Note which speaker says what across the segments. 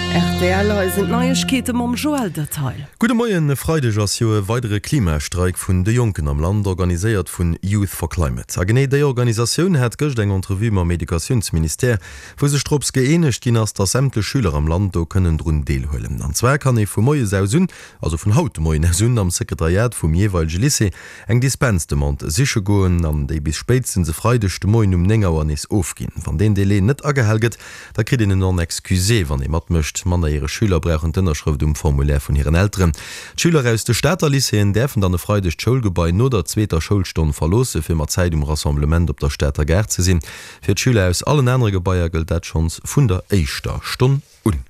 Speaker 1: Rtl, Hei sinn d'Neiegkeete mam Joël Detail.
Speaker 2: Gudde Moien, E Freideg ass jo e weidere Klimastreik vun de Jonken am Land, organiséiert vun Youth for Climate. A genee déi Organisatioun hat gëscht eng Entrevue mam Educatiounsministère, wou sech drops gëeenegt ginn ass, dass sämtlech Schüler am Land do kënnen drun deelhuelen. An zwar kann ee vu moies aus un, also vun haut de Moien aus un, am Sekretariat vum jeeweilege Lycée eng Dispensdemande siche goen an déi bis spéitstens e Freideg de Moien um 9 Auer nees ofginn. Wann deen Delai net agehal gëtt, da kritt een en Non excusé, wann ee matmécht. Mannerjäreg Schüler brauchen d'Ënnerschrëft um Formulaire vun hiren Elteren. D'Schüler aus de Stater Lycéeën däerfen dann e Freideg d'Schoulgebai no der zweeter Schoulstonn verloosse fir mat Zäit um Rassemblement op der Stater Gare ze sinn. Fir d'Schüler aus allen anere Gebaier gëllt dat schonns vun der éischter Stonn un.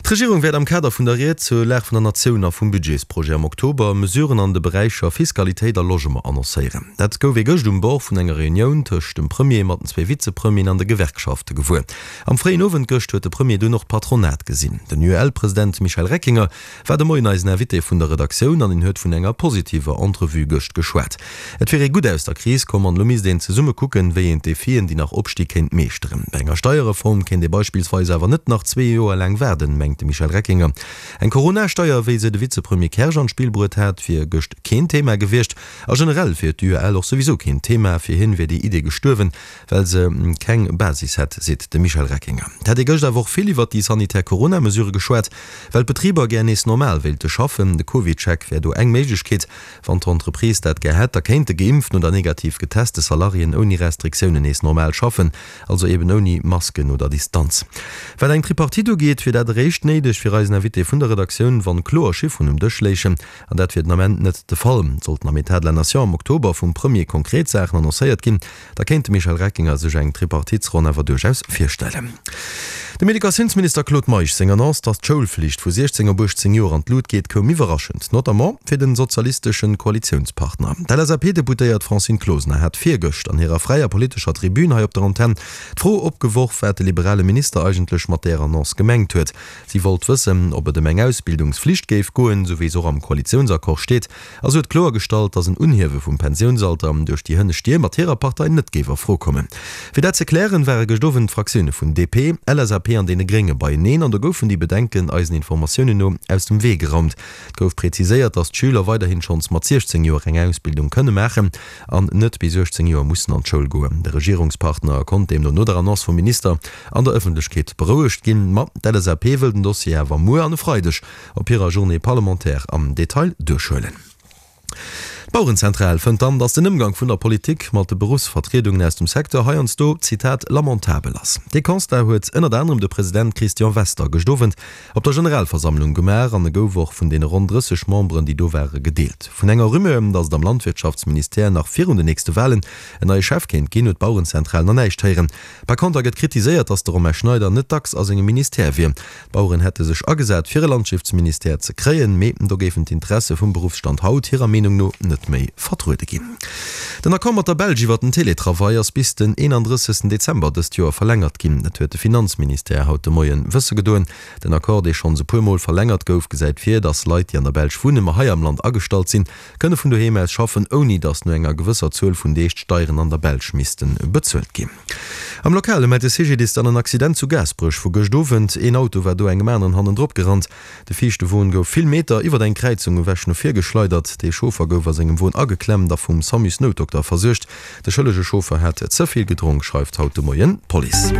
Speaker 2: D'Regierung wäert am Kader vun der Ried zur Lag vun der Natioun a vum Budgetsprojet am Oktober Mesuren an de Beräicher Fiskalitéit a Logement annoncéieren. Dat gouf ee gëscht um Bord vun enger Reunioun tëscht dem Premier mat den zwee Vizepremieren an de Gewerkschafte gewuer. Am fréien Owend gëscht huet de Premier dunn och d'Patronat gesinn. Den UEL-President Michel Reckinger war de Moien eisen Invité vun der Redaktioun an en huet vun enger positiver Entrevue gëscht geschwat. Et wier ee gutt aus der Kris komm an elo misst een zesumme kucken, wéi een d'Defien, déi nach opsti kéint meeschteren. Bei enger Steierreform kéint ee beispillsweis awer net nach zwee Joer laang waarden, mengt de Michel Reckinger. Eng Corona-Steier, wéi se de Vizepremier Kersch an d'Spill bruet hat, wier gëscht keen Thema gewiescht a generell wier d'UEL och souwisou keen Thema. Fir hien wier déi Idee gestuerwen, Well se keng Basis hätt, seet de Michel Reckinger. Et hätt ee gëscht awer och vill iwwert déi sanitär Corona-Mesurë geschwat, well d'Betriber gär nees normal wéilte schaffen. De CovidCheck wär do eng Méiglechkeet. Wann d'Entreprise dat gär hätt, da kéinte geimpften oder negativ geteste Salariéen ouni Restriktiounen nees normal schaffen, also eben ouni Masken oder Distanz. Wat eng Tripartite ugeet, wier dat eréischt néideg, fir eisen Invité vun der Redaktioun, wann kloer Chifferen um Dësch léichen. An dat wier den Ament net de Fall. Sollten am Etat de la Nation am Oktober vum Premier konkret Saachen annoncéiert ginn, Da kéint de Michel Reckinger sech eng Tripartitsronn awer duerchaus virstellen. Dem Educatiounsminister Claude Meisch seng Annonce, datt d'Schoulflicht vu 16 op 18 Joer an d'Lut geet, koum iwwerraschend, notamment fir den sozialisteschen Koalitiounspartner. D'LSAP-Deputéiert Francine Closener hat virgëscht an hirer fräier politescher Tribün hei op der Antenn d'Fro opgeworf, wat de liberale Minister eigentlech mat där Annonce gemengt huet. Si wollt wëssen, ob et ëm eng Ausbildungsflicht géif goen, sou wéi se och am Koalitiounsaccord steet. A se huet kloergestallt, datt en Unhiewe vum Pensiounsalter duerch déi hënnescht Dier mat hirer Partei net géif a Fro kommen. Fir dat ze klären, ware gëscht Owend d'Fraktioune vun DP, LSAP an deene Grénge beieneen an do goufen déi Bedenken eisen Informatiounen no aus dem Wee geraumt. Et gouf präziséiert, datt d'Schüler weiderhin schonns mat 16 Joer eng Ausbildung kënne maachen an net bis 18 Joer mussen an d'Schoul goen. De Regierungspartner konnt deemno no der Annonce vum Minister an der Ëffentlechkeet berouegt ginn. Ma d'LSAP wëll den Dossier awer muer an e Freideg op hirer Journée parlementaire am Detail duerchhuelen. D'Bauerenzentral fënnt dann, datt den Ëmgang vun der Politik mat de Beruffsvertriedungen aus dem Secteur heiansdo, Zitat, lamentabel ass. Dee Constat huet ënnert anerem de President Christian Wester gëscht Owend op der Generalversammlung gemaach an e gouf och vun deene ronn 30 Memberen, déi do ware, gedeelt. Vun enger Rumeur, datt et am Landwirtschaftsministère nach virun den nächste Walen en neie Chef kéint ginn, huet d'Bauerenzentral nach näischt héieren. Par konter gëtt kritiséiert, datt de Romain Schneider net dacks a sengem Ministère wier. D'Baueren hätte sech agesat, fir e Landschiftsministère ze kréien, mee do géifen d'Interesse vum Beruffsstand haut hirer Meenung no net méi vertruede ginn. Den Accord mat der Belsch iwwer den Teletravail ass bis den 31 Dezember dëst Joer verlängert ginn. Dat huet de Finanzministère haut de Moien wësse gedoen. Den Accord, dee schonns e puer Mol verlängert gouf, gesäit vir, datt Leit, déi an der Belsch wunnen, ma hei am Land agestallt sinn, kënne vun doheem aus schaffen, ouni datt no enger gewësser Zuel vun Deeg d'Steieren an der Belsch misste bezuelt ginn. Am Lokale mellt de CGDIS dann en Accident zu Gaasperech vu gëscht Owend. Een Auto war do engem aneren hannendrop gerannt. De viischte Won gouf vill Meter iwwer eng Kräizung ewech no vir geschleidert. De Chauffer gouf a sengem Won ageklemmt a vum Samusnoutdokter versuergt. De schëllege Chauffer hat ze vill gedronk, schreift haut de Moien d'Police.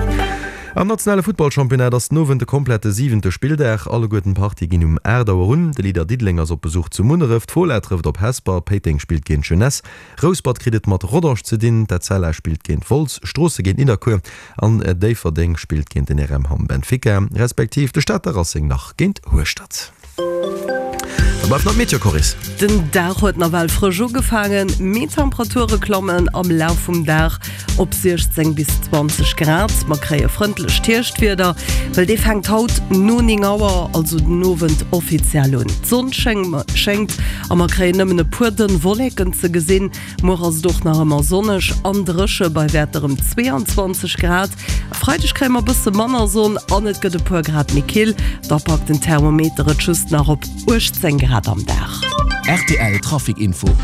Speaker 2: Am nationale Futtballchampionnat ass den Owend de komplette siwente Spilldag. Alleguerten d'Partie ginn um 8 Auer un. De Leader Diddeleng ass op Besuch zu Munneref, d'Fola trëfft op Hesper, Péiteng spillt géint d'Jeunesse, Rouspert kritt et mat Rodange ze dinn, d'Etzella spillt géint Wolz, Stroosse géint Nidderkuer an Déifferdeng spillt géint den RM Hamm Benfica, respektiv de Stater Racing nach géint Hueschtert. Da bleift nach d'Meteo, Coris.
Speaker 1: Den Dag huet nawell frësch ugefaangen, mee d'Temperature klammen am Laf vum Dag op 16 bis 20 Grad. Mer kréie frëndlecht Hierschtwieder, well dee fänkt haut no 9 Auer, also den Owend, offiziell un. D'Sonn schéngt a mer kréien nëmmen e puer dënn Wolleken ze gesinn. Muer ass et och nach ëmmer sonneg an dréche bei Wäerter ëm 22 Grad. E Freideg kréie mer bësse manner Sonn an et gëtt e puer Grad méi kill, da packt den Thermometer et just nach op 18 Grad am Dag.
Speaker 3: Rtl Trafic Info.